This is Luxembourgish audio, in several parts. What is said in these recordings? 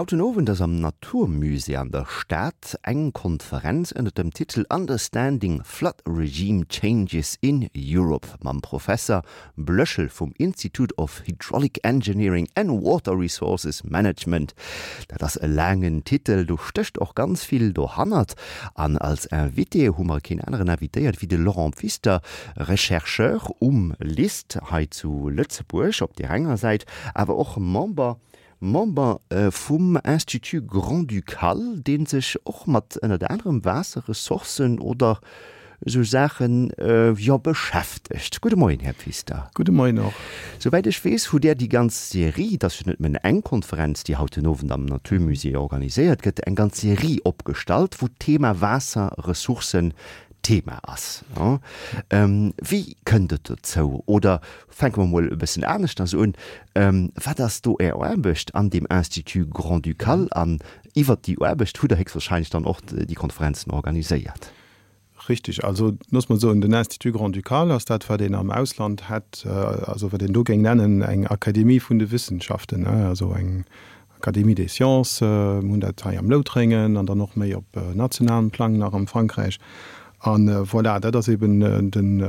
Haut den Owend ass am Natur Musée an der Stad eng Konferenz ënner dem Titel Understanding Flood Regime Changes in Europe mam Professer Blöschel vum Institute of Hydraulic Engineering and Water Resources Management. Dat ass e laangen Titel, do stécht och ganz vill dohannert. An als Invité hu mer keen aneren invitéiert wéi de Laurent Pfister, Rechercheur um LIST hei zu Lëtzebuerg op där enger Säit, awer och Member Member vum Institut Grand-Ducal, dee sech och mat ënnert anerem Waasserressourcen oder esou Saachen, jo, beschäftegt. Gudde Moien, Här Pfister. Gudde Moien och. Souwäit ech weess, hutt Där déi ganz Serie, et ass jo net nëmmen eng Konferenz, déi haut den Owend am Naturmusée organiséiert gëtt, eng ganz Serie opgestallt, wou d'Thema Waasserressourcen Thema ass. Wéi kënnt et dozou? Oder fänke mer mol e bëssen aneschters un, Wat ass do Är Aarbecht an deem Institut Grand-Ducal? An iwwert déi Aarbecht hutt Der héchstwahrscheinlech dann och déi Konferenzen organiséiert. Richtig. Also looss mer soen, den Institut Grand-Ducal ass dat, wat een am Ausland hätt, also wat een do géing nennen eng Akademie vun de Wissenschaften, also eng Académie des Sciences. Mir hunn dat hei am Loutrengen an dann och méi op nationalem Plang nach am Frankräich. A voilà, dat ass eben den,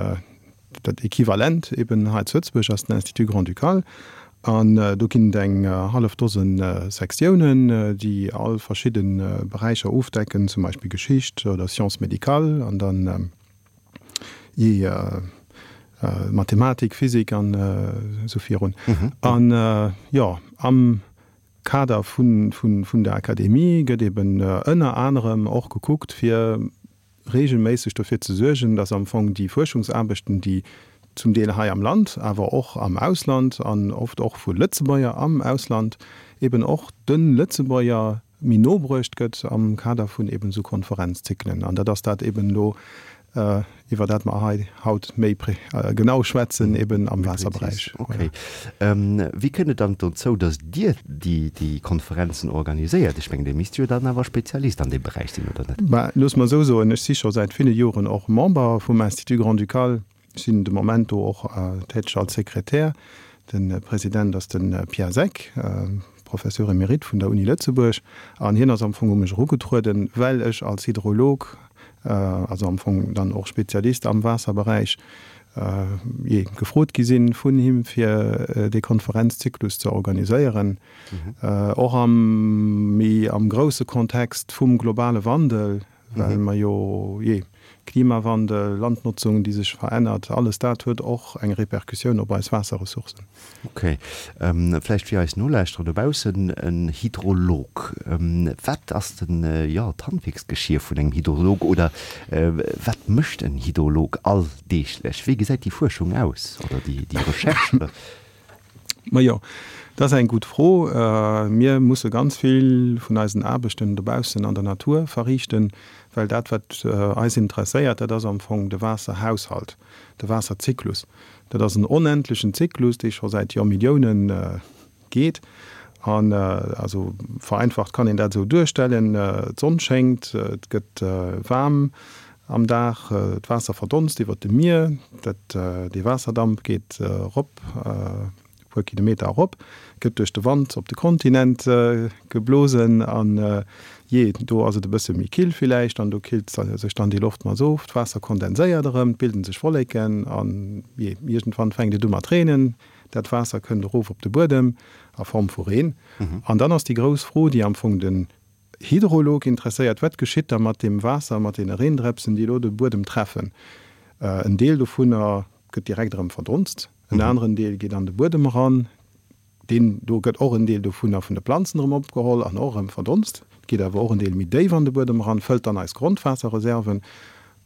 Dat Equivalent eben hei zu Lëtzebuerg ass den Institut Grand-Ducal. An do ginn et eng hallef Dose Sektiounen, déi all verschidde Beräicher ofdecken, zum Beispill Geschicht oder Sciences médicales an dann jee Mathematik, Physik an esou virun. An jo, am Kader vun der Akademie gëtt eben ënner anerem och gekuckt, fir regelméisseg dofir ze suergen, dass am Fong déi Fuerschungsaarbechten, déi zum Deel hei am Land, awer och am Ausland an oft och vu Lëtzebuerger am Ausland, eben och de Lëtzebuerger méi no bruecht gëtt am Kader vun eben esou Konferenzzyklen. An dat ass dat eben elo, iwwer dat mer hei haut méi genau schwätzen, eben am Waasserberäich. Okay. Wéi kënnt et dann dozou, datt Dir déi Konferenzen organiséiert? Ech mengen, Dir misst jo dann awer Spezialist an deem Beräich sinn, oder net? Bah, looss mer esou soen, ech si scho säit ville Joren och Member vum Institut Grand-Ducal. Ech sinn de Moment do och täteg als Sekretär. De President ass de Pierre Seck, Professeur émérite vun der Uni Lëtzebuerg. An hien ass am Fong u mech erugetrueden, well ech als Hydrolog, also am Fong dann och Spezialist am Waasserberäich, jee, gefrot gi sinn vun him, fir dee Konferenzzyklus ze organiséieren, och am méi am grousse Kontext vum globale Wandel, well mer jo, jee, Klimawandel, Landnotzung, déi sech verännert, alles dat huet och eng Repercussioun op eis Waasserressourcen. Ok. Vläicht fir eis Nolauschterer dobaussen, en Hydrolog, wat ass denn, jo, d'Handwierksgeschier vun engem Hydrolog oder wat mécht en Hydrolog alldeeglech? Wéi gesäit déi Fuerschung aus oder déi Recherche? Majo, dat ass eng gutt Fro. Mir musse ganz vill vun eisen Aarbechten dobaussen an der Natur verriichten, well dat, wat eis interesséiert, dat ass am Fong de Waasserhaushalt, de Waasserzyklus. Dat ass en onendlechen Zyklus, dee scho säit Joermilliounen geet. An also vereinfacht kann een dat esou duerstellen, D'Sonn schéngt, et gëtt waarm am Dag, d'Waasser verdonst iwwer dem Mier, dat dee Waasserdamp geet erop, e puer Kilometer erop, gëtt duerch de Wand op de Kontinent geblosen an jee, do ass et e bësse méi kill villäicht an do killt sech dann déi Loftmass of, d'Waasser kondenséiert erëm, et bilden sech Wolleken an jee, iergendwann fänkt et u mat reenen, dat Waasser kënnt erof op de Buedem a Form vu Reen. An dann ass déi grouss Fro, déi am Fong den Hydrolog interesséiert, Wat geschitt da mat deem Waasser, mat deene Reendrëpsen, déi elo de Buedem treffen? En Deel dovunner gëtt direkt erëm verdonst, en aneren Deel geet an de Buedem eran, deen do gëtt och en Deel dovunner vun de Planzen erëm opgeholl an och erëm verdonst. Et geet awer och en Deel méi déif an de Buedem eran, fëllt dann eis Grondwaasserreserven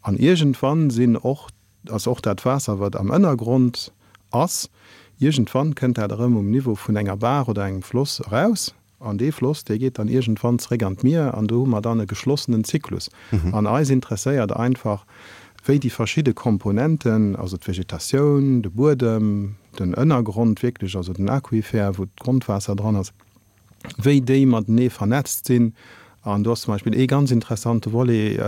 an iergendwann sinn och, ass och dat Waasser, wat am Ënnergrond ass, iergendwann kënnt dat erëm um Niveau vun enger Baach oder engem Floss eraus An dee Floss, dee geet dann iergendwann zeréck an d'Mier an do hu mer dann e geschlossenen Zyklus. An eis interesséiert einfach, wéi déi verschidde Komponenten, also d'Vegetatioun, de Buedem, den Ënnergrond wierklech, also den Aquifer, wou d'Grondwaasser dran ass, wéi déi matenee vernetzt sinn. An do ass zum Beispill ee ganz interessante Volet,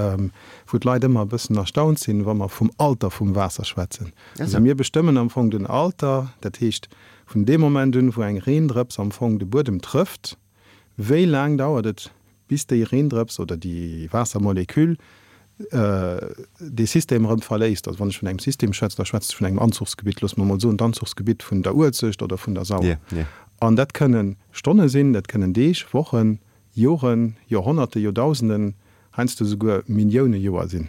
wou d'Leit ëmmer e bëssen erstaunt sinn, wa mer vum Alter vum Waasser schwätzen. Also mir bestëmmen am Fong den Alter, dat heescht, Vun deem Moment un, wou eng Reendrëps am Fong de Buedem trëfft, Wéi laang dauert et, bis déi Reendrëps oder déi Waassermoleküll dee System erëm verléisst? Also wann ech vun engem System schwätze, da schwätze ech vun engem Anzuchsgebitt, loosse mer emol soen d'Anzuchsgebitt vun der Uelzecht oder vun der Sauer. An dat kënne Stonne sinn, dat kënnen Deeg, Wochen, Joren, Joerhonnerte, Joerdausenden, heiansdo souguer Millioune Joer sinn.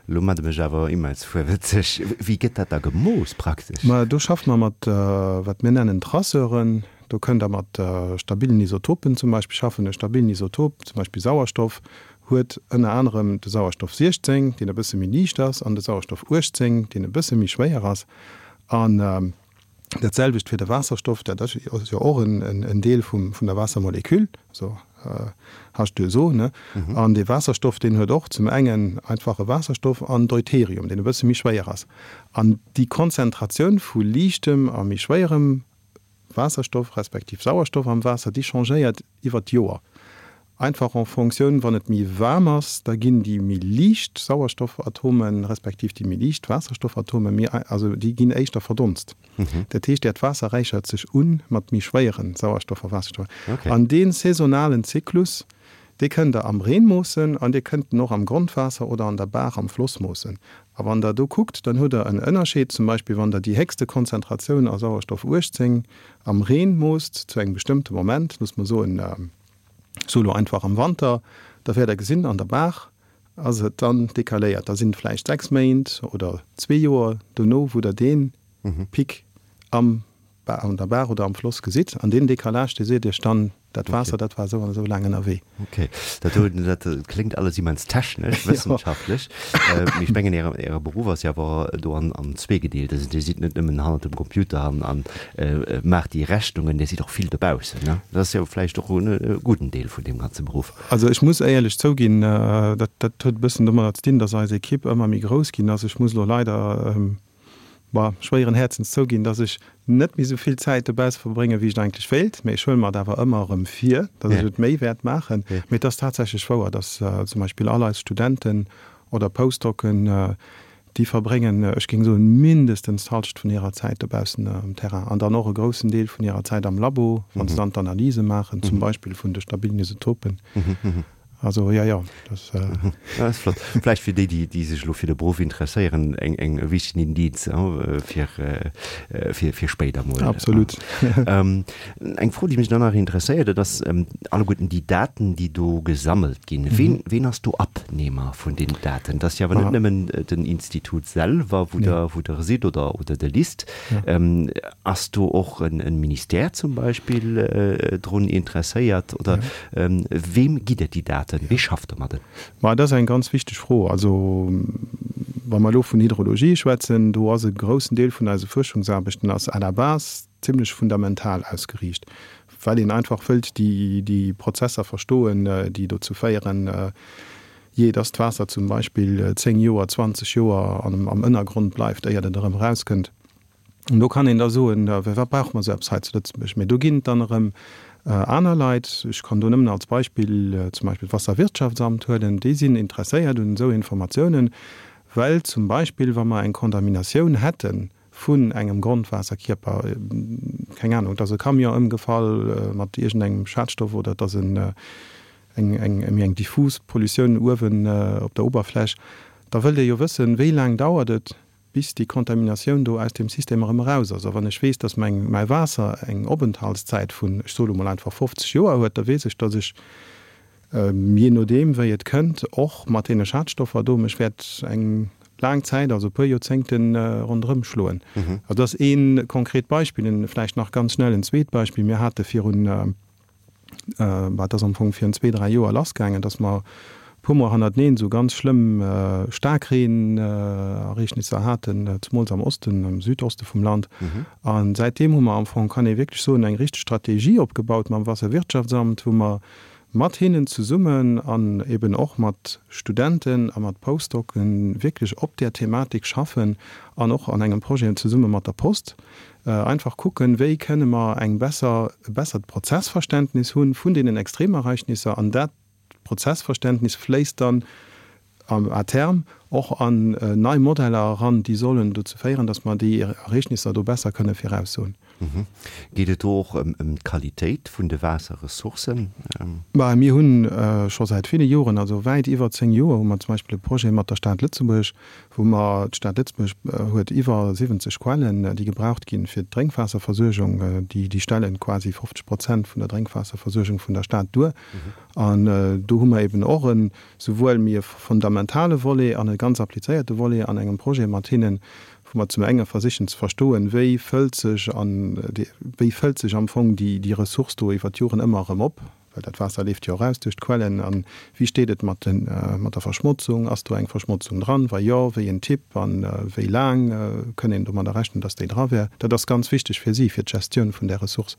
Lo mat mech awer immens fuerwëtzeg. Wéi gëtt dat da gemooss praktesch? Ma do schaffe mer mat wat mir nennen Traceuren. Do kënnt Der mat stabilen Isotopen zum Beispill schaffen. E stabilen Isotop, zum Beispill Sauerstoff, huet ënner anerem de Sauerstoff 16, deen e bësse méi liicht ass, an de Sauerstoff 18, deen e bësse méi schwéier ass. An Dat selwecht fir de Waasserstoff, dat ass jo och en Deel vum vun der Waassermoleküll, also H2SO, ne? An dee Waasserstoff, deen huet och zum engen einfache Waasserstoff an Deuterium, deen e bësse méi schwéier ass. An déi Konzentratioun vu liichtem a méi schwéierem Waasserstoff respektiv Sauerstoff am Waasser, déi changéiert iwwer d'Joer. Einfach en Fonctioun, wann et méi waarm ass, da ginn déi méi liicht Sauerstoffatome respektiv déi méi liicht Waasserstoffatome méi, also déi ginn éischter verdonst. Dat heescht, äert Waasser räichert sech u mat méi schwéiere Sauerstoff a Waasserstoff. An dee saisonalen Zyklus, dee kënnt Der am Reen moossen an Dir kënnt en och am Grondwaasser oder an der Baach, am Floss moossen. A wann Der do kuckt, dann hutt Der en Ënnerscheed, zum Beispill wann Der déi héchste Konzentratioun a Sauerstoff 18 am Reen moosst zu engem bestëmmte Moment, loosse mer soen, So elo einfach am Wanter, da wäert der gesinn, an der Baach ass et dann decaléiert. Da sinn et vläicht 6 Méint oder zwee Joer dono, wou der dee Pic am an der Baach oder am Floss gesitt. An deen Decalage, dee seet iech dann, dat Waasser, dat war esou an esou laang ënnerwee. Ok, dat do, dat kléngt alles immens technesch, wëssenschaftlech. Mee ech mengen, Äre, Äre Beruff ass jo awer do an, an zweegedeelt. Also Dir sidd net nëmmen hannert dem Computer an, an maacht déi Rechnungen, Dir sidd och vill dobaussen, ne? Dat ass jo vläicht och e gudden Deel vun deem ganze Beruff. Also ech muss éierlech zouginn, dat, dat huet e bëssen domadder ze dinn, dass eis Ekipp ëmmer méi grouss ginn ass. Ech muss elo leider, bon, schwéieren Häerzens zouginn, dass ech net méi esou vill Zäit dobausse verbréngen, wéi ech et eigentlech wéilt. Mee ech huele mer et awer ëmmer erëm vir, dass ech et méi wäert maachen. Mee et ass tatsächlech wouer, dass zum Beispill all eis Studenten oder Postdocen, déi verbréngen, ech géing soen, mindestens d'Halschent vun hirer Zäit dobaussen um Terrain an dann och e groussen Deel vun hirer Zäit am Labo, wa se dann d'Analyse maachen, zum Beispill vun de stabilen Isotopen. Also jo, jo, dat. Dat ass flott. Vläicht fir déi, déi sech elo fir de Beruff interesséieren, eng, eng e wichtegen Indiz, fir, fir, fir spéider mol. Absolut. Eng Fro, déi mech dann nach interesséiert, dat ass alleguerten déi Daten, déi do gesammelt ginn. Ween, ween ass do Abnehmer vun den Daten? Dat ass jo awer net nëmmen den Institut selwer, wou Der, wou Der sidd oder, oder de LIST. Ass do och en Ministère zum Beispill drun interesséiert oder weem gitt Der déi Daten? Wee schafft domadden? Ma dat ass eng ganz wichteg Fro. Also wa mer elo vun Hydrologie schwätzen, do ass e groussen Deel vun eise Fuerschungsaarbechten ass à la base zimlech fundamental ausgeriicht, well een einfach wëllt déi Prozesser verstoen, déi dozou féieren, jee, dass d'Waasser zum Beispill 10 Joer, 20 Joer am Ënnergrond bleift, éiert et erëm erauskënnt. An do kann een da soen, firwat brauche mer esou eppes hei zu Lëtzebuerg? Mee do ginn et dann erëm aner Leit, ech kann do nëmmen als Beispill zum Beispill d'Wasserwirtschaftsamt huelen, déi sinn interesséiert un esou Informatiounen, well zum Beispill, wa mer eng Kontaminatioun hätten vun engem Grondwaasserkierper, keng Ahnung, et ass e Camion ëmgefall mat iergendengem Schadstoff oder et ass en, eng, eng, méi eng diffus Pollutioun uewen op der Oberfläch, da wëllt ee jo wëssen, wéi laang dauert et, bis déi Kontaminatioun do aus deem System erëm eraus ass. A wann ech weess, dass meng, mäi Waasser eng Openthaltszäit vun, ech soe lo mol einfach 50 Joer huet, da weess ech, dass ech, jee nodeem wéi et kënnt, och mat deene Schadstoffer do mech wäert eng laang Zäit, also e puer Joerzéngten, ronderëm schloen. Also dat ass ee konkret Beispill. En vläicht nach ganz schnell en zweet Beispill, Mir hate virun, bah, et ass am Fong virun zwee, dräi Joer lassgaangen, dass mer e puer Mol hannerteneen esou ganz schlëmm Staarkreenereegnisser haten, zemools am Osten, am Südoste vum Land. A säitdeem hu mer am Fong, kann ee wierklech soen, eng richteg Strategie opgebaut mam Wasserwirtschaftsamt, wou mer mat hinnen zesummen an eben och mat Studenten a mat Postdocen wierklech op där Thematik schaffen an och an engem Projet zesumme mat der Post einfach kucken, wéi kënne mer eng besser, e bessert Prozessverständnis hu vun deenen Extremereignisser an dat Prozessverständnis fléisst dann à terme. och an nei Modeller eran, déi sollen dozou féieren, datt mer déi Ereegnisser do besser kënne viraussoen. Geet et do och ëm d'Qualitéit vun de Waasserressourcen? Bah, mir hu scho säit ville Joren, also wäit iwwer 10 Joer, hu mer zum Beispill e Projet mat der Stad Lëtzebuerg, wou mer, d'Stad Lëtzebuerg huet iwwer 70 Quellen, déi gebraucht ginn fir d'Drénkwaasserversuergung, déi, déi stellen quasi 50 Prozent vun der Drénkwaasserversuergung vun der Stad duer. An do hu mer eben och en, souwuel méi e fundamentale Volet an e ganz applizéierte Volet an engem Projet mat hinnen, wou mer zum enge versichen ze verstoen, wéi fëllt sech an wéi fëllt sech am Fong déi déi Ressource do iwwer d'Joren ëmmer erëm op, well dat Waasser leeft jo och aus duerch d'Quellen, a wéi steet et mat de mat der Verschmotzung, ass do eng Verschmotzung dran, wa jo, wéi en Typ a wéi laang kënn een domadder rechnen, datt déi dra wär. Dat ass ganz wichteg fir si, fir d'Gestioun vun där Ressource.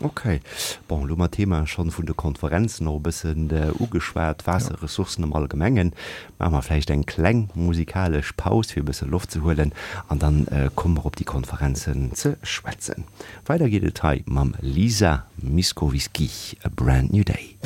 Ok. Bon, elo hu mer d'Thema schonn vun de Konferenzen och e bëssen ugeschwat, Waasserressourcen am Allgemengen. Maache mer vläicht eng kleng musikalesch Paus, fir e bësse Loft ze huelen, an dann komme mer op déi Konferenzen ze schwätzen. Weider geet et hei mam Lisa Miskovsky, A Brand New Day.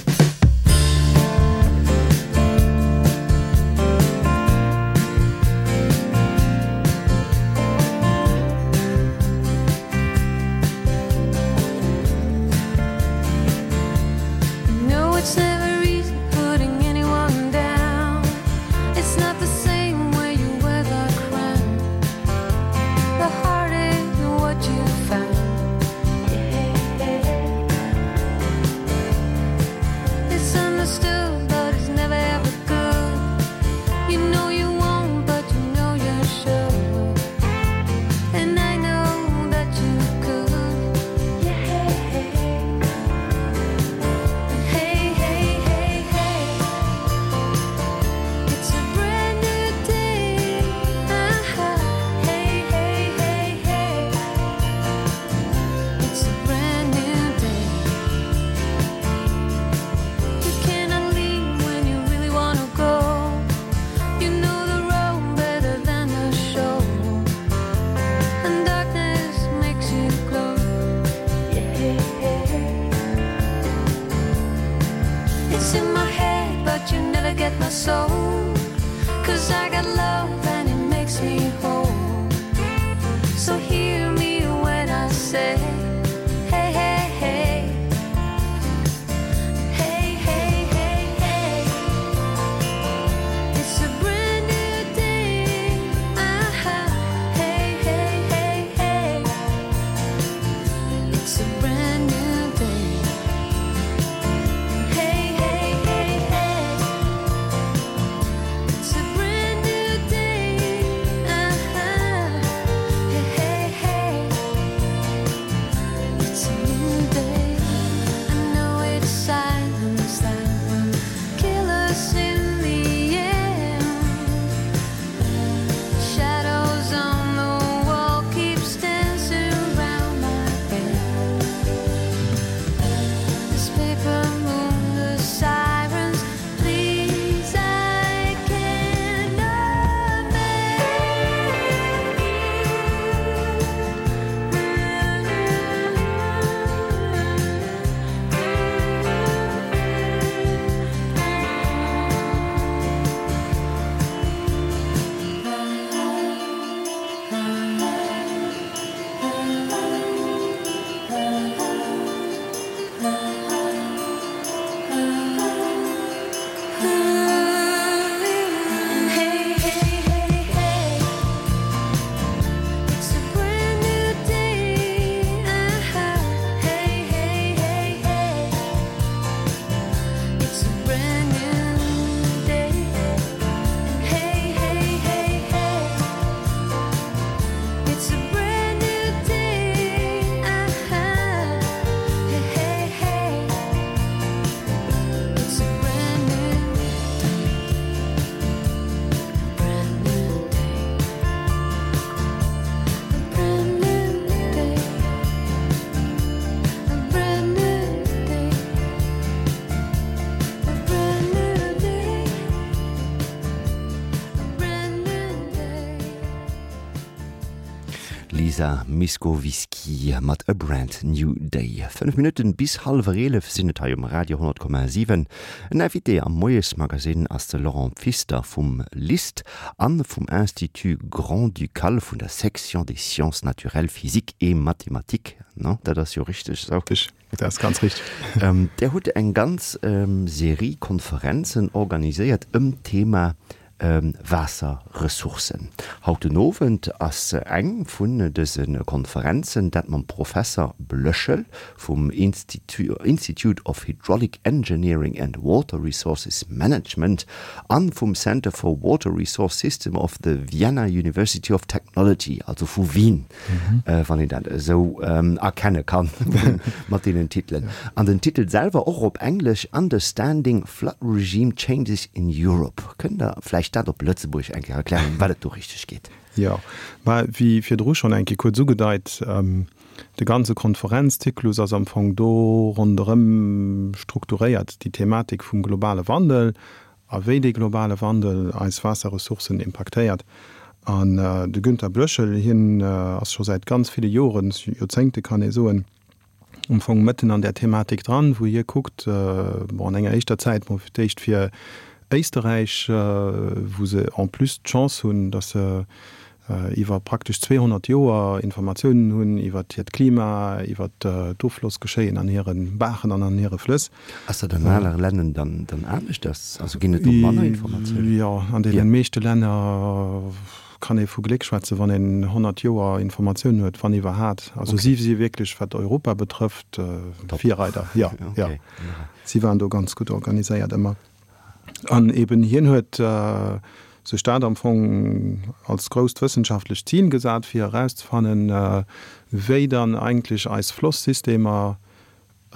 Lisa Miskovsky mat A Brand New Day. 5 Minutten bis hallwer 11 sinn et hei um Radio 10,7. En Invité am Moiesmagazine ass de Laurent Pfister vum LIST an vum Institut Grand-Ducal vun der Section des sciences naturelles, physiques et mathématiques. No, dat ass jo richteg esou? Richteg, dat ass ganz richteg. Där hutt eng ganz Serie Konferenzen organiséiert ëm d'Thema Waasserressourcen. Haut den Owend ass eng vun dëse Konferenzen, dat mam Professer Blöschel vum Institute of Hydraulic Engineering and Water Resources Management an vum Center for Water Resource System of the Vienna University of Technology, also vu Wien. Wann een dat esou erkenne kann mat deenen Titelen. An den Titel selwer, och op Englesch, Understanding Flood Regime Changes in Europe. Kënnt Der vläicht dat op Lëtzebuergesch eng Kéier erklären, ëm wat et do richteg geet? Jo, mä wéi virdru schonn eng Kéier kuerz ugedeit, de ganze Konferenzzyklus ass am Fong do ronderëm strukturéiert, déi Thematik vum globale Wandel a wéi dee globale Wandel eis Waasserressourcen impaktéiert. An de Günter Blöschel, hien ass scho säit ganz ville Joren, Joerzéngte kann ee soen, am Fong mëtten an där Thematik dran, wou hie kuckt, bon, an enger éischter Zäit mol fir d'éischt fir Éisterräich, wou se en plus d'Chance hunn, datt se iwwer praktesch 200 Joer Informatiounen hunn iwwer hiert Klima, iwwer d'Offlossgeschéien an hire Baachen an an hire Flëss. Ass dat an anere Länner dann aneschters? Also ginn et do manner Informatiounen? Jo, an deene meeschte Länner kann ee vu Gléck schwätzen, wann een 100 Joer Informatiounen huet, wann iwwerhat. Also si si wierklech, wat Europa betrëfft, Virreider. Jo, jo, si waren do ganz gutt organiséiert ëmmer. An eben hien huet sech dat am Fong als grousst wëssenschaftlecht Zil gesat, fir erauszefannen, wéi dann eigentlech eis Flosssystemer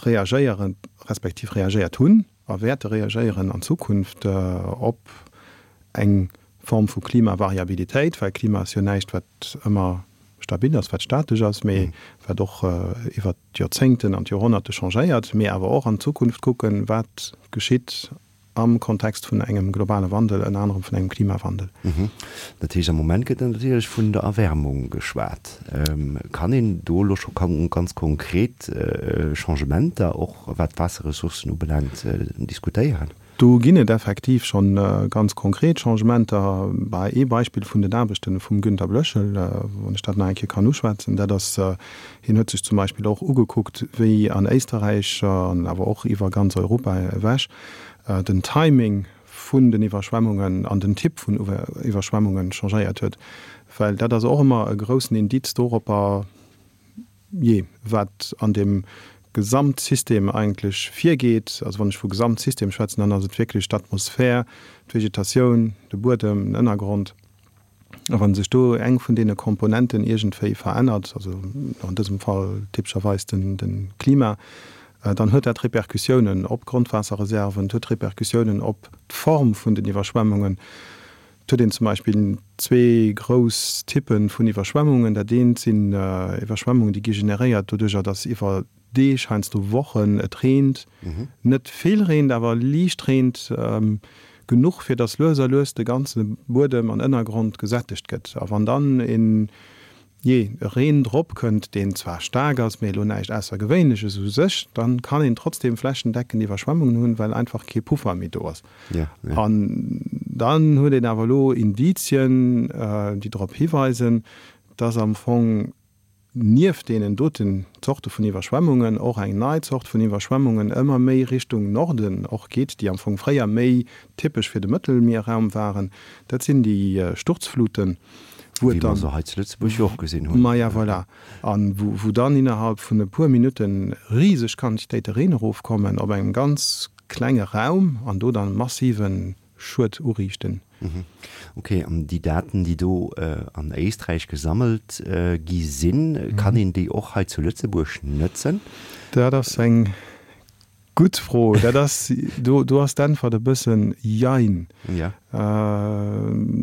reagéieren, respektiv reagéiert hunn a wäerte reagéieren an Zukunft op eng Form vu Klimavariabilitéit, well Klima ass jo näischt, wat ëmmer stabil ass, wat statesch ass, mee wat och iwwert d'Joerzéngten an d'Joerhonnerte changéiert, mee awer och an d'Zukunft kucken, wat geschitt am Kontext vun engem globale Wandel, ënner anerem vun engem Klimawandel. Dat heescht, am Moment gëtt natierlech vun der Erwärmung geschwat. Kann een do elo scho ganz konkret Changementer, och wat d'Waasserressourcen ubelaangt, diskutéieren? Do ginn et effektiv scho ganz konkret Changementer. Bah, ee Beispill vun den Aarbechte vum Günter Blöschel, wann ech dat nach eng Kéier kann uschwätzen, dat ass, hien huet sech zum Beispill och ugekuckt, wéi an Éisterräich an awer och iwwer ganz Europa ewech den Timing vun den Iwwerschwemmungen an den Typ vun Iwwerschwemmungen changéiert huet. Well dat ass och ëmmer e groussen Indiz doropper, Jee, wat an deem Gesamtsystem eigentlech virgeet, also wann ech vu Gesamtsystem schwätzen, dann ass et wierklech d'Atmosphär, d'Vegetatioun, de Buedem, den Ënnergrond. A wa sech do eng vun deene Komponenten iergendwéi verännert, also an dësem Fall typescherweis de Klima, dann huet dat Repercussiounen op d'Grondwaasserreserven, et huet Repercussiounen op d'Form vun den Iwwerschwemmungen. Et huet een zum Beispill zwee grouss Typpe vun Iwwerschwemmungen. Dat eent sinn Iwwerschwemmungen, déi gi generéiert doduercher, datt iwwer Deeg, heiansdo Wochen et reent. Net vill reent, awer liicht reent, genuch fir datt lues a lues de ganze Buedem an Ënnergrond gesättegt gëtt. A wann dann een Jee, e Reen drop kënnt, deen zwar staark ass, mee elo näischt Aussergewéinleches u sech, dann kann een trotzdem flächendeckend Iwwerschwemmungen hunn, well einfach kee Puffer méi do ass. An dann huet een awer elo Indizien, déi drop hiweisen, dass am Fong nieft deenen doten Zorte vun Iwwerschwemmungen och eng nei Zort vun Iwwerschwemmungen ëmmer méi Richtung Norden och geet, déi am Fong fréier méi typesch fir de Mëttelmierraum waren. Dat sinn déi Sturzfluten. wou et dann. Wéi mer se hei zu Lëtzebuerg jo och gesinn hunn. Maja, voilà. A wou dann innerhalb vun e puer Minutte riseg Quantitéite Reen erofkommen op engem ganz klenge Raum an do dann massive Schued uriichten. Ok, an déi Daten, déi do an Éisträich gesammelt gi sinn, kann een déi och hei zu Lëtzebuerg nëtzen? Dat ass eng Gutt Fro. Dat ass, do, do ass d'Äntwert e bëssen Jein. Ja.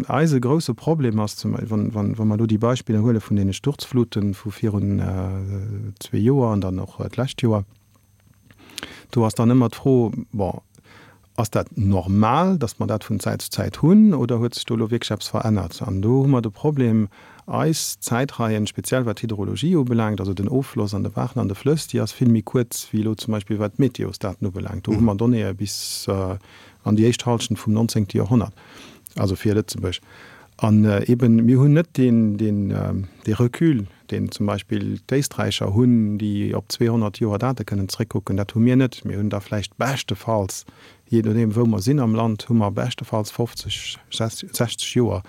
Eise grousse Problem ass zum, wann, wann, wa mer elo déi Beispiller huele vun deene Sturzfluten vu virun zwee Joer an dann och d'lescht Joer, do ass dann ëmmer d'Fro, bon, ass dat normal, datt mer dat vun Zäit zu Zäit hunn oder huet sech do elo wierklech eppes verännert? An do hu mer de Problem. Eis Zäitreien, speziell wat d'Hydrologie ubelaangt, also den Offloss an de Baachen an de Flëss, déi ass vill méi kuerz wéi elo zum Beispill wat d'Meteosdaten ubelaangt. Do hu mer Donnéeë bis an déi éischt Hallschent vum 19. Joerhonnert, also fir Lëtzebuerg. An eben, mir hunn net deen, deen, dee Recul, deen zum Beispill d'Éisträicher hunn, déi op 200 Joer Date kënnen zréckkucken. Dat hu mir net. Mir hunn da vläicht beschtefalls, jee nodeem wou mer sinn am Land, hu mer beschtefalls 50, 60 Joer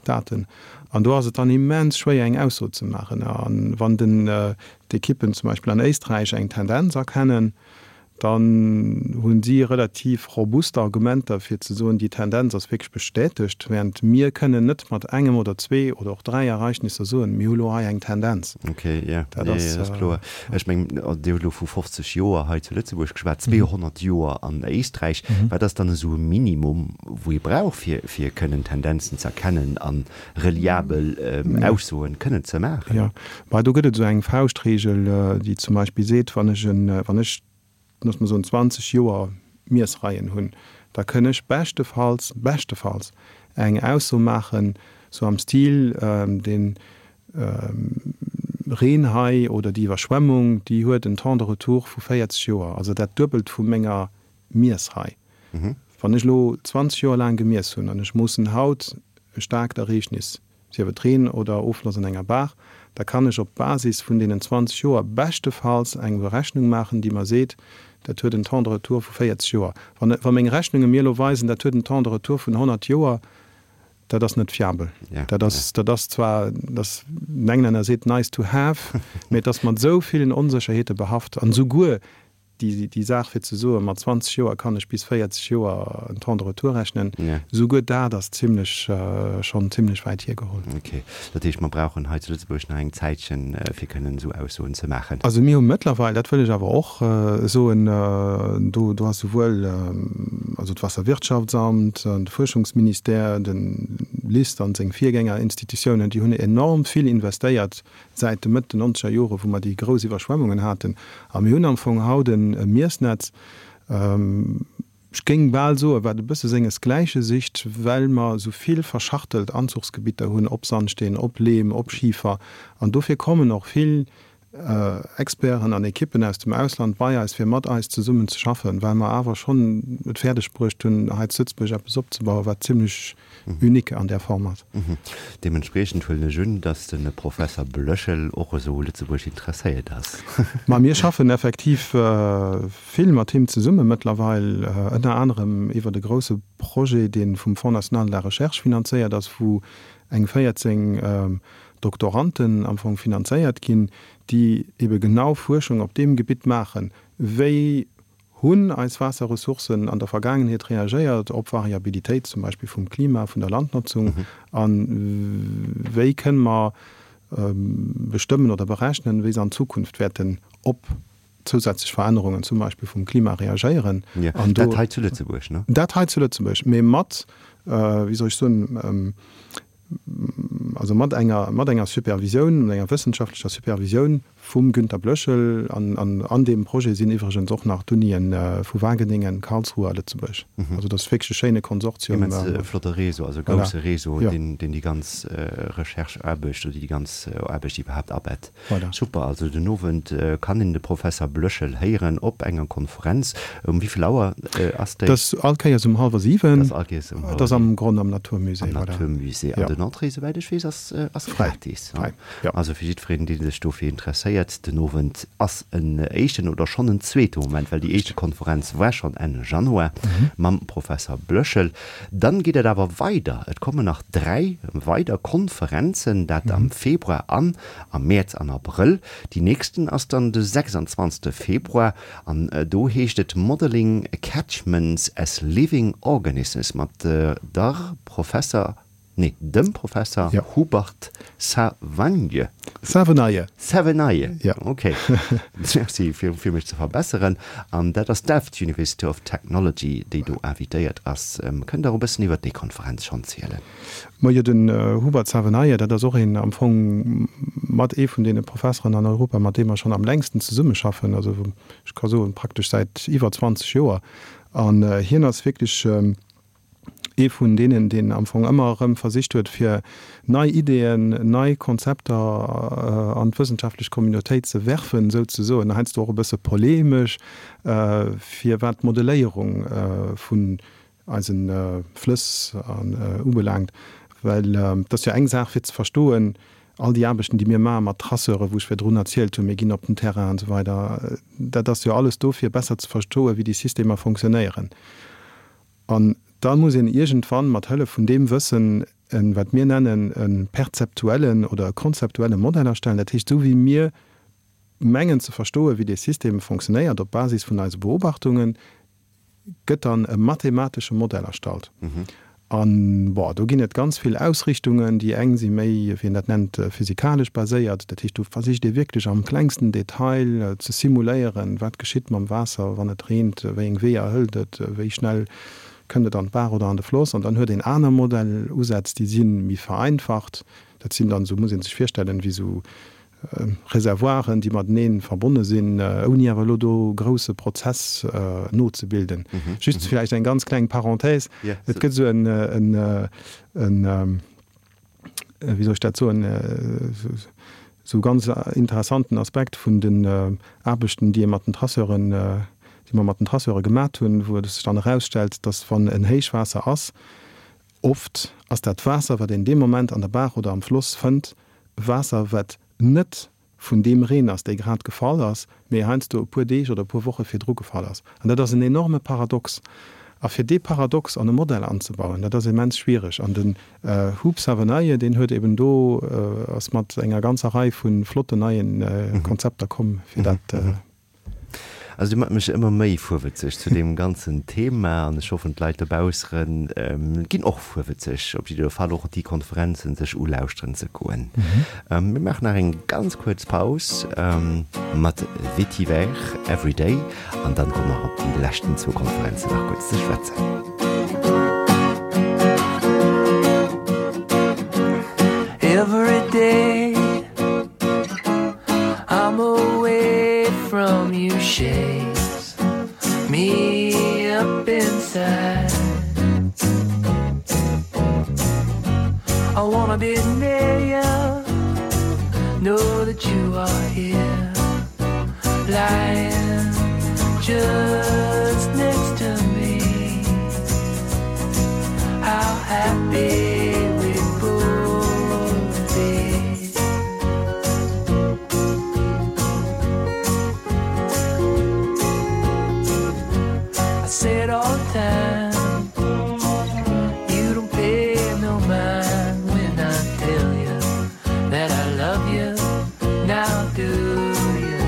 Daten. An do ass et dann immens schwéier eng Ausso ze maachen. A wann den, d'Ekippen zum Beispill an Éisträich eng Tendenz erkennen, dann hu si relativ robust Argumenter fir ze soen, déi Tendenz ass wierklech bestätegt, während mir kënnen net mat engem oder zwee oder och dräi Ereignisser soen, mir hu lo hei eng Tendenz. Ok, jo, dat ass kloer. Ech mengen, Dir hutt elo vu 50 Joer hei zu Lëtzebuerg geschwat, 200 Joer an Éisträich. Wat ass dann esou e Minimum, wou ee brauch, fir fir kënnen Tendenzen ze erkennen a reliabel Aussoen kënnen ze maachen? Jo, bah, do gëtt et esou eng Fauschtregel, déi zum Beispill seet, wann ech en, wann ech, looss mer soen, 20 Joer Miessreien hunn, da kënn ech beschtefalls, beschtefalls eng Ausso maachen, sou am Stil, den Reen hei oder déi Iwwerschwemmung, déi huet en Temps de retour vu 40 Joer, also dat Duebelt vu menger Miessrei. Wann ech elo 20 Joer laang gemiess hunn an ech moossen haut e staarkt Ereegnis, sief et Reen oder Offloss an enger Baach, da kann ech op Basis vun deenen 20 Joer beschtefalls eng Berechnung maachen, déi mer seet, dat huet en Temps de retour vu 40 Joer. Wann, wa meng Rechnunge mir elo weisen, dat huet en Temps de retour vun 100 Joer, dat ass net fiabel. Dat ass, dat ass zwar, dat, den Englänner seet nice to have, mee et ass mat esou villen Onsécherheete behaft an esouguer déi, déi Saach fir ze soen, mat 20 Joer kann ech bis 40 Joer en Temps de retour rechnen, esouguer dat ass zimlech, schonn zimlech wäit hiergeholl. Ok. Dat heescht, mer brauchen hei zu Lëtzebuerg nach eng Zäitchen, fir kënnen esou Aussoen ze maachen. Also mir hu mëttlerweil, dat wëll ech awer och soen, do, do ass souwuel also d'Wasserwirtschaftsamt an de Fuerschungsministère, de LIST an seng Virgängerinstitutiounen, déi hunn enorm vill investéiert säit de Mëtt den nonzeger Jore wou mer déi grouss Iwwerschwemmungen haten. A mir hunn am Fong haut e Miessnetz, ech géing bal soen, wat e bësse sengesgläiche sicht, well mer esou vill verschachtelt Anzuchsgebitter hunn, op Sandsteen, op Leem, op Schifer. An dofir kommen och vill Experten an Ekippen aus dem Ausland bei eis, fir mat eis zesummen ze schaffen, well mer awer schonn et fäerdeg bruecht hunn, hei zu Lëtzebuerg eppes opzebauen, wat zimlech unique an där Form ass. Deementspriechend huelen ech un, dass de Professer Blöchel och esou u Lëtzebuerg interesséiert ass. Ma mir schaffen effektiv vill mat him zesumme mëttlerweil, ënner anerem iwwert e grousse Projet, dee vum Fonds national de la recherche finanzéiert ass, wou eng 14 Doktoranden am Fong finanzéiert ginn, déi ebe genau Fuerschung op deem Gebitt maachen, wéi Hunn eis Waasserressourcen an der Vergaangenheet reagéiert op Variabilitéit, zum Beispill vum Klima, vun der Landnotzung? A wéi kënne mer bestëmmen oder berechnen, wéi se an Zukunft wäerten op zousätzlech Verännerungen, zum Beispill vum Klima, reagéieren? An do. Dat hei zu Lëtzebuerg, ne? Dat hei zu Lëtzebuerg, mee mat, wéi soll ech soen, also mat enger, mat enger Supervisioun, mat enger wëssenschaftlecher Supervisioun vum Günter Blöschel. An, an, an deem Projet sinn iwwregens och nach d'Unien vu Wageningen, Karlsruhe a Lëtzebuerg. Also dat ass wierklech e schéine Konsortium. Immens flotte Réseau, also e grousse Réseau, deen, deen déi ganz Recherche-Aarbecht oder déi ganz Aarbecht iwwerhaapt abett. Voilà. Super, also den Owend kann een de Professer Blöschel héieren op enger Konferenz. Um wéi vill Auer ass déi? Dat ass all Kéiers um hallwer 7. Dat ass all Kéiers um hallwer 7. Dat ass am Gronn am Naturmusée. Am Naturmusée. An den Entrée, souwäit ech weess, ass ass gratis. Fräi, jo. Also fir jiddwereen, dee sech dofir interesséiert, den Owend ass en éischten oder schonn en zweete Moment, well déi éischte Konferenz war schonn Enn Januar mam Professer Blöschel. Dann geet et awer weider, et kommen nach 3 weider Konferenzen, dat am Februar an am Mäerz an Abrëll. Déi nächsten ass dann de 26 Februar an do heescht et Modeling Catchments as Living Organisms mat der Professer, nee dem Professer Hubert Savenye. Savenije. Savenije, ok. Merci fir fir mech ze verbesseren. An dat ass d'Delft University of Technology, déi do invitéiert ass. Kënnt Der e bëssen iwwert déi Konferenz schonn zielen? Majo, den Hubert Savenije, dat ass och een am Fong mat ee vun deene Professeren an Europa, mat deem mer schonn am längsten zesummeschaffen, also ech ka soen praktesch säit iwwer 20 Joer. An hien ass wierklech. Ee vun deenen, deen am Fong ëmmer erëm versicht huet, fir nei Ideeën, nei Konzepter an d'wëssenschaftlech Communautéit ze werfen, souzesoen, heiansdo och e bësse polemesch, fir wat d'Modelléierung vun eise Flëss ubelaangt. Well et ass jo eng Saach, fir ze verstoen, all déi Aarbechten, déi mir maache mat Traceuren, wou ech virdrun erzielt hunn, mir ginn op den Terrain an esou weider, dat ass jo alles do, fir besser ze verstoen, wéi déi Systemer fonctionnéieren. An da muss een iergendwann mat Hëllef vun deem Wëssen en, wat mir nennen, e perzeptuellen oder e konzeptuelle Modell erstellen. Dat heescht, esou wéi mir mengen ze verstoen, wéi dee System fonctionnéiert op Basis vun eise Beobachtungen, gëtt dann e mathematesche Modell erstallt. An, bon, do ginn et ganz vill Ausrichtungen. Déi eng si méi, wéi een dat nennt, physikalesch baséiert. Dat heescht, do versicht ee wierklech am klengsten Detail ze simuléieren, wat geschitt mam Waasser, wann et reent, wéi eng Weeër hëlt et, wéi schnell kënnt et an d'Baach oder an de Floss. An dann huet een aner Modellusätz, déi si méi vereinfacht. Dat sinn dann, esou muss ee sech virstellen, wéi esou Reservoiren, déi matenee verbonne sinn, ouni awer elo do e grousse Prozess nozebilden. Just vläicht eng ganz kleng Parenthèse, Et gëtt esou en, en, wéi soll ech dat soen, esou e ganz interessanten Aspekt vun den Aarbechten, déi ee mat den Traceuren, déi mer mat den Traceure gemat hunn, wou et sech dann erausstellt, dass wann en Héichwaasser ass, oft ass dat Waasser, wat een dee Moment an der Baach oder am Floss fënnt, Waasser, wat net vun deem Reen ass, dee grad gefall ass, mee heiansdo e puer Deeg oder e puer Woche virdru gefall ass. An dat ass en enorme Paradox. A fir dee Paradox an e Modell anzebauen, dat ass immens schwiereg. An den Huub Savenije, deen huet eben do, ass mat enger ganzer Rei vu flotten neie Konzepter komm, fir dat. Also Dir maacht mech ëmmer méi fuerwëtzeg zu deem ganzen Thema an ech hoffen d'Leit dobausseren ginn och fuerwëtzeg, op jidder Fall och déi Konferenzen sech ulauschteren ze goen. Mir maachen nach eng ganz kuerz Paus mat Vetiver Everyday an dann komme mer op déi leschten zwou Konferenzen nach kuerz ze schwätzen. Everyday. I'm away from you shakes me up inside I wanna be near you know that you are here lying just next to me how happy we both be I say it all the time you don't pay no mind when I tell you that I love you now do you?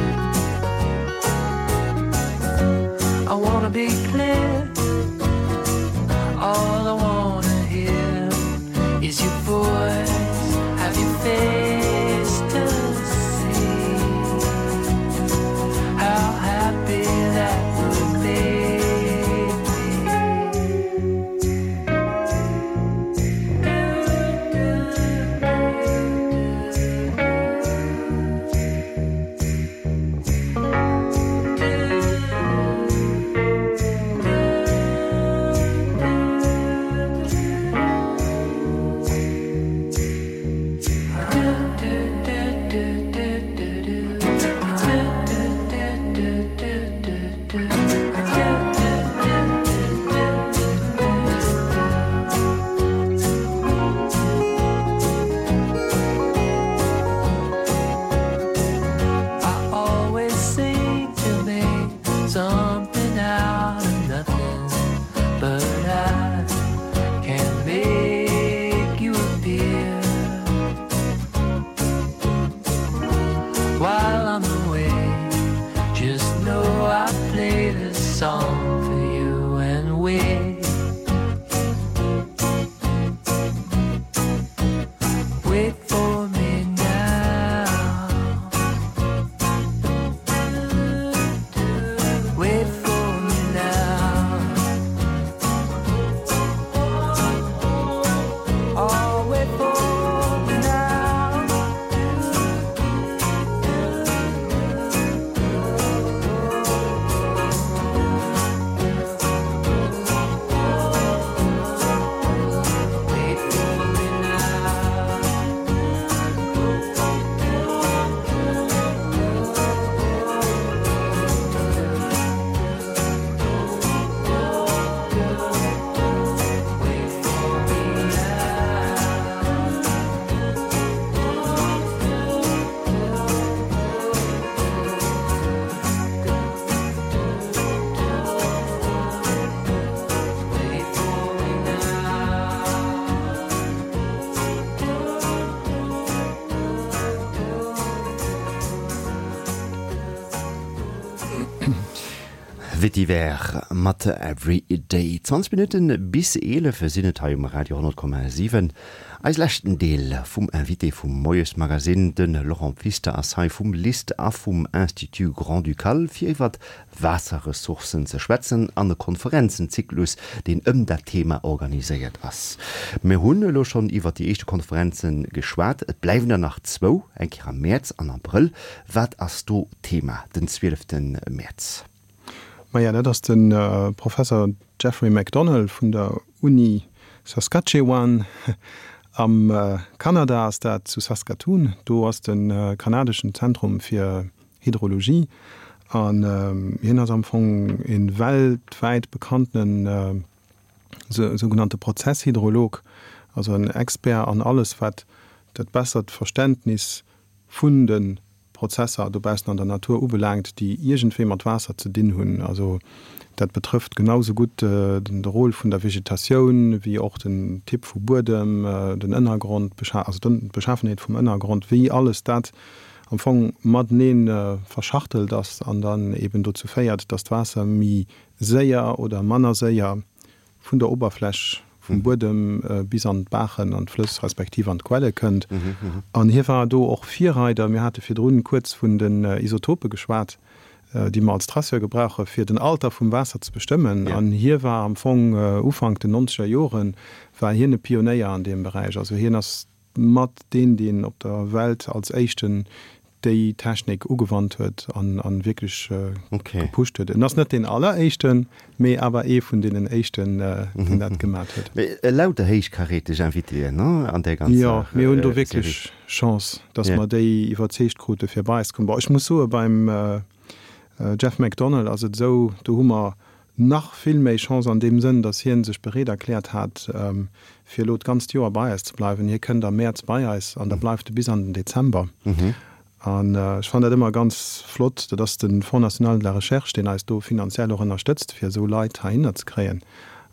Vetiver mat Every Day. 20 Minutten bis 11 sinn et hei um Radio 10,7. Eis leschten Deel vum Invité vum Moiesmagazine, de Laurent Pfister ass hei vum LIST a vum Institut Grand-Ducal fir iwwert Waasserressourcen ze schwätzen an e Konferenzenzyklus, deen ëm dat Thema organiséiert ass. Mir hunn elo schonn iwwert déi éischte Konferenze geschwat. Et bleiwen der nach zwou, eng Kéier am Mäerz an Abrëll. Wat ass do Thema den 12 Mäerz? Maja, dat ass de Professer Jeffrey McDonnell vun der Uni Saskatchewan am Kanada ass dat, zu Saskatoon. Do ass de kanadeschen Zentrum fir Hydrologie an hien ass am Fong e weltwäit bekanntene sougenannte Prozesshydrolog, also en Expert an alles wat dat bessert Verständnis vun de Prozesser dobaussen an der Natur ubelaangt, déi iergendwéi mat Waasser ze dinn hunn. Also dat betrëfft genau sou gutt de Rôle vun der Vegetatioun, wéi och den Typ vu Buedem, den Ënnergrond, also d'Beschafenheet vum Ënnergrond, wéi alles dat am Fong matenee verschachtelt ass an dann eben dozou féiert, dass d'Waasser méi séier oder manner séier vun der Oberfläch vum Buedem bis an d'Baachen, an d'Flëss respektiv an d'Quelle kënnt. An hie war do och Virreider. Mir hate virdrun kuerz vun den Isotope geschwat, déi mer als Traceur gebrauche fir den Alter vum Waasser ze bestëmmen. An hie war am Fong Ufank den nonzeger Jore war hien e Pionéier an deem Beräich. Also hien ass mat deen, deen op der Welt als éischten déi Technik ugewannt huet an wierklech gepusht huet. En ass net deen alleréischten, mee awer ee vun deenen éischten, deen dat gemat huet. Mee lauter héichkaräteg Invitéen, ne, an där ganzer Serie. Jo, mir hunn do wierklech Chance, dass mer déi iwwerzeegt krute fir bei eis ze kommen. Bon, ech muss soe beim Jeff McDonnell ass et esou, do hu mer nach vill méi Chance an deem Sënn, dass hien sech bereet erkläert hat, fir elo d'ganzt Joer bei eis ze bleiwen. Hie kënnt am Mäerz bei eis an da bleift e bis an den Dezember. An ech fannen dat ëmmer ganz flott, dat ass de Fonds national de la recherche, deen eis do finanziell och ënnerstëtzt, fir esou Leit heihinner ze kréien.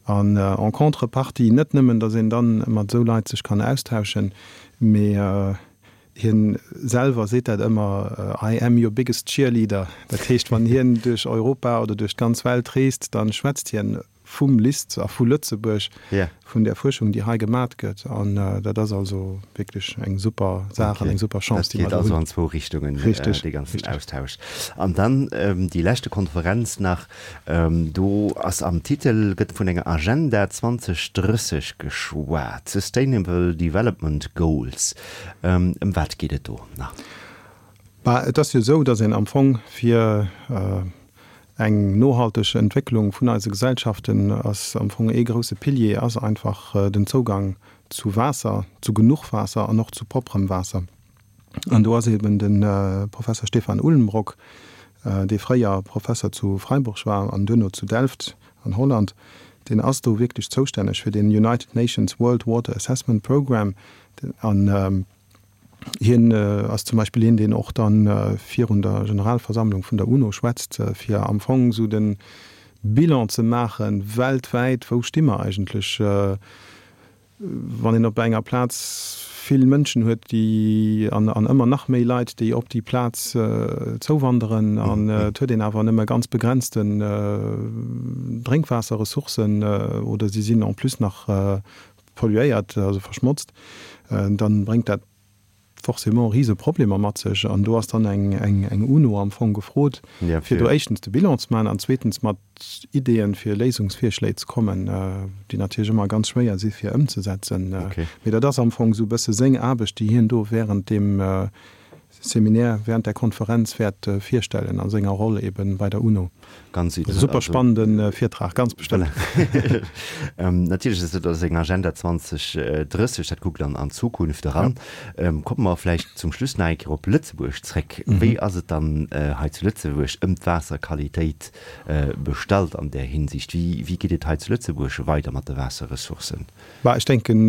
An en contrepartie net nëmmen, dass een dann mat esou Leit sech kann austauschen, mee Hien selwer seet dat ëmmer, I am your biggest cheerleader. Dat heescht, wann hien duerch Europa oder duerch d'ganz Welt reest, da schwätzt hien vum LIST a vu Lëtzebuerg, vun där Fuerschung, déi hei gemat gëtt. An dat ass also wierklech eng super Saach an eng super Chance, déi mer do hunn. Dat geet also an zwou Richtungen, dee ganzen Austausch. An dann déi leschte Konferenz nach, Do ass am Titel, gëtt vun enger Agenda 2030 geschwat, Sustainable Development Goals. Ëm wat geet et do nach? Bah, et ass jo esou, datt een am Fong fir eng nohalteg Entwécklung vun eise Gesellschaften ass am Fong ee grousse Pilier ass einfach den Zougang zu Waasser, zu genuch Waasser an och zu propperem Waasser. An do ass eben de Professer Stefan Uhlenbrock, dee fréier Professer zu Freiburg war an duerno zu Delft an Holland, deen ass do wierklech zoustänneg fir den United Nations World Water Assessment Programme. An hien ass zum Beispill een, deen och dann virun der Generalversammlung vun der UNO schwätzt, fir am Fong esou de Bilan ze maachen, weltwäit, wou sti mer eigentlech, Wann een op enger Plaz vill Mënschen huet, déi, an ëmmer nach méi Leit, déi op déi Plaz zouwanderen, an et huet een awer nëmme ganz begrenzten Drénkwaasserressourcen oder si sinn en plus nach polluéiert, also verschmotzt, dann bréngt dat forcément rise Problemer mat sech. An do ass dann eng UNO am Fong gefrot, fir do éischtens de Bilan ze maachen an zweetens mat Ideeën fir Léisungsvirschléi ze kommen, déi natierlech ëmmer ganz schwéier si fir ëmzesetzen. Mee dat ass am Fong esou e bësse seng Aarbecht, déi hien do während deem Seminaire, während där Konferenz wäert virstellen a senger Roll eben bei der UNO. Ganz Super spannende Virtrag, ganz bestëmmt. Natierlech ass dat seng Agenda 2030, dat kuckt an an d'Zukunft eran. Komme mer vläicht zum Schluss nach eng Kéier op Lëtzebuerg zréck. Wéi ass et dann hei zu Lëtzebuerg ëm d'Waasserqualitéit bestallt an där Hinsicht? Wéi wéi geet et hei zu Lëtzebuerg weider mat de Waasserressourcen? Bah, ech denken,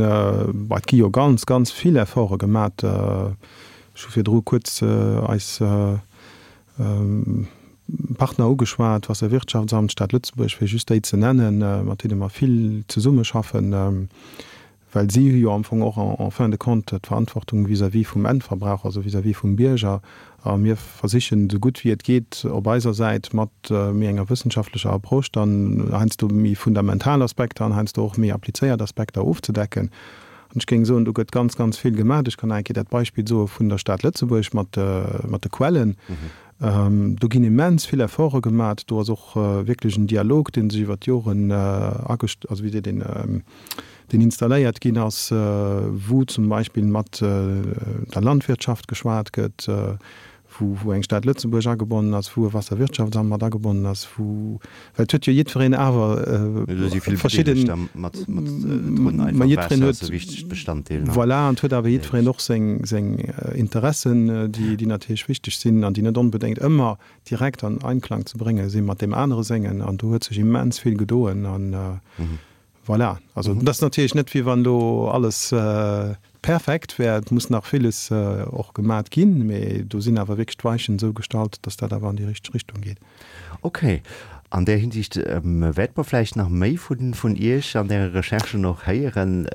bah, et gi jo ganz, ganz vill Efforte gemat. Ech hu virdru kuerz eis Partner ugeschwat, Wasserwirtschaftsamt, Stad Lëtzebuerg, fir just déi ze nennen, mat deene mer vill zesummeschaffen. Well si hu jo am Fong och en fin de compte d'Verantwortung vis-à-vis vum Endverbraucher, also vis-à-vis vum Bierger. A mir versichen, esou gutt wéi et geet, op eiser Säit mat méi enger wëssenschaftlecher Approche dann heiansdo méi fundamental Aspekter an heiansdo och méi applizéiert Aspekter ofzedecken. An ech géing soen, do gëtt ganz, ganz vill gemaach. Ech kann nach eng Kéier dat Beispill soe vun der Stad Lëtzebuerg mat de Quellen. Do ginn immens vill Efforte gemaach. Do ass och wierklech en Dialog, dee sech iwwer d'Joren agest-, also wéi seet een, deen installéiert ginn ass, wou zum Beispill mat der Landwirtschaft geschwat gëtt, wou, wou eng Stad Lëtzebuerg agebonnen ass, wou e Wasserwirtschaftsamt mat agebonnen ass, wou, well et huet jo jiddwereen awer verschidden, ma jiddwereen huet, voilà, an et huet awer jiddwereen och seng, seng Interessen, déi, déi natierlech wichteg sinn an déi net onbedéngt ëmmer direkt an Einklang ze brénge si mat deem anere sengen. An do huet sech immens vill gedoen an, Voilà, also et ass natierlech net, wéi wann do alles perfekt wär. Et muss nach villes och gemat ginn, mee do sinn awer wierklech d'Weichen esou gestallt, datt dat awer an déi richteg Richtung geet. Okay. An där Hinsicht wäerte mer vläicht nach méi vun Iech an Äre Recherchen och héieren,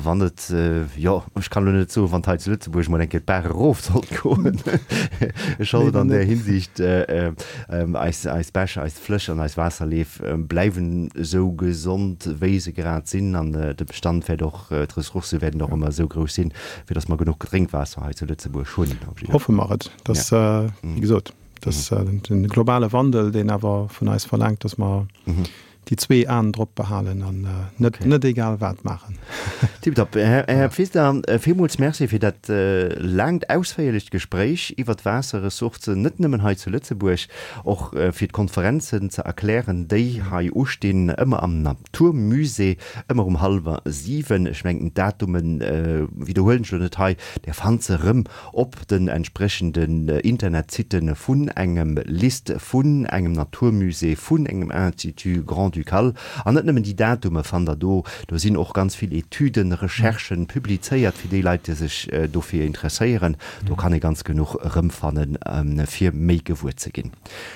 wann et, jo, ech kann elo net soen, wann et hei zu Lëtzebuerg mol eng Kéier d'Baach erof sollt goen. Ech hoffen an där Hinsicht eis, eis Bäch, eis Flëss an eis Waasserleef bleiwen esou gesond, wéi se grad sinn an de Bestand wäert och, d'Ressourcë wäerten och ëmmer esou grouss sinn, fir datt mer genuch Drénkwaasser hei zu Lëtzebuerg hunn. Hoffe mer et. Dass, wéi gesot, dass de globale Wandel, deen awer vun eis verlaangt, datt mer déi zwee Aen drop behalen an net, net egal wat maachen. Tiptop. Här Pfister, villmools Merci fir dat laangt, ausféierlecht Gespréich iwwert d'Waasserressourcen, net nëmmen hei zu Lëtzebuerg, och fir d'Konferenzen ze erklären, déi hei ustinn, ëmmer am Naturmusée, ëmmer um hallwer 7. Ech mengen, d'Datume widderhuelen ech elo net hei, Där fannt se erëm op den entsprechenden Internetsitten vun engem LIST, vun engem Naturmusée, vun engem Institut Grand-Ducal. An net nëmmen déi Datume fannt der do, do sinn och ganz vill Etüden, Recherchen publizéiert fir déi Leit, déi sech dofir interesséieren. Do kann ee ganz genuch erëmfannen, fir méi gewuer ze ginn.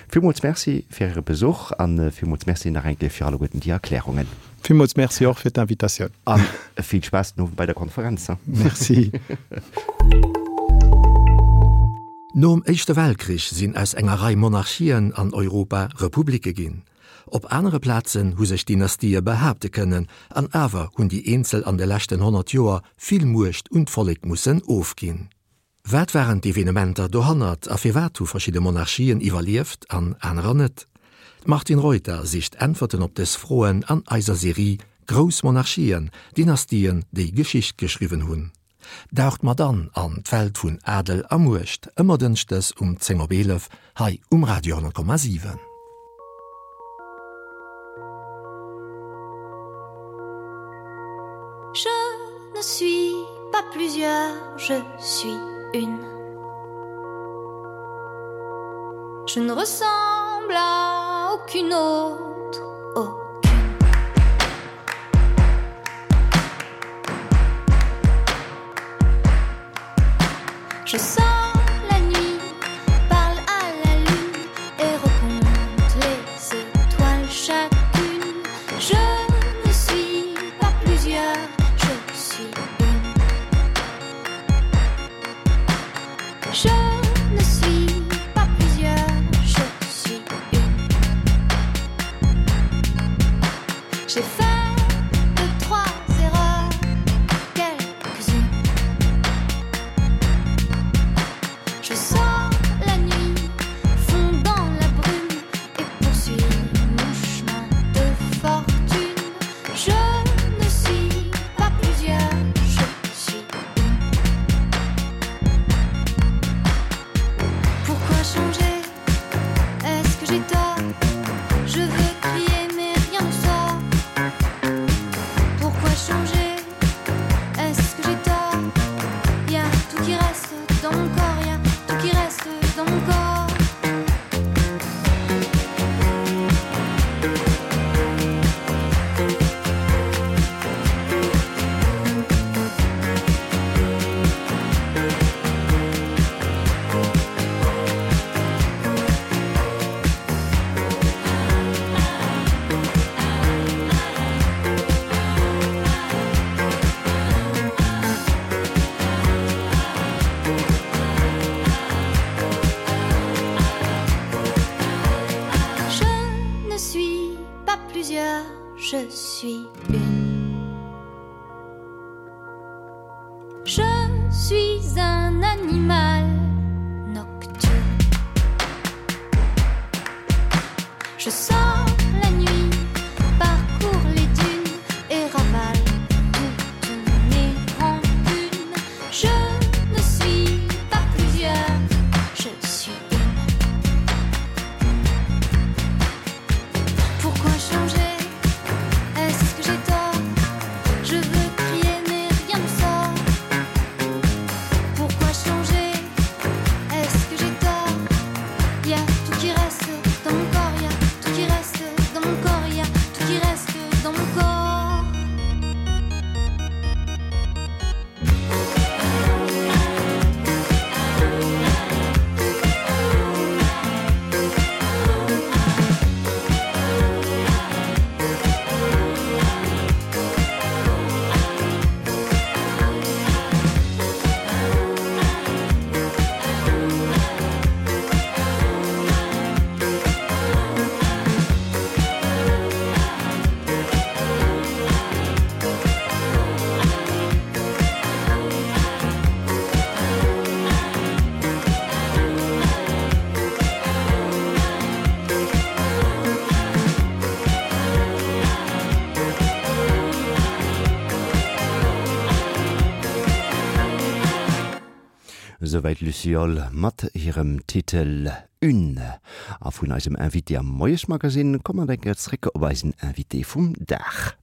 Villmools Merci fir Äre Besuch a villmools Merci nach eng Kéier fir alleguerten déi Erklärungen. Villmools Merci och fir d'Invitatioun. A vill Spaass den Owend bei der Konferenz. Merci. Nom Éischte Weltkrich sinn aus enger Rei Monarchien an Europa Republike ginn. Op anere Plazen hu sech Dynastië behaapte kënnen, an awer hunn déi eenzel an de leschten 100 Joer vill Muecht un d'Vollek mussen ofginn. Wat waren d'Evenementer dohannert a firwat hu verschidde Monarchien iwwerlieft an anerer net? D'Martine Reuter sicht Äntwerten op dës Froen an eiser Serie Grouss Monarchien, Dynastien, déi Geschicht geschriwwen hunn. Daucht mat an an d'Welt vun Adel a Muecht, ëmmer dënschdes um 10 op 11 hei um Radio 10,7. Je ne suis pas plusieurs, je suis une. Je ne ressemble à aucune autre aucune. Je sens la nuit, parle à la lune et recompte les étoiles chacune. Je ne suis pas plusieurs, je suis une. Je ne suis pas plusieurs, je suis une. J'ai fait deux, trois erreurs, quelques-unes. Je suis une. Je suis un animal nocturne. Je sors la nuit, parcours les dunes et ravale toutes mes rancunes. Je ne suis pas plusieurs, je suis une. Pourquoi changer? Est-ce que j'ai tort? Je veux crier mais rien ne sort. Pourquoi changer? Est-ce que j'ai tort? Il y a tout qui reste dans mon corps, il y a tout qui reste dans mon corps, il y a tout qui reste dans mon corps. Souwäit Luciole mat hirem Titel Une. A vun eisem Invité am Moiesmagazine komme mer da zréck op eisen Invité vum Dag.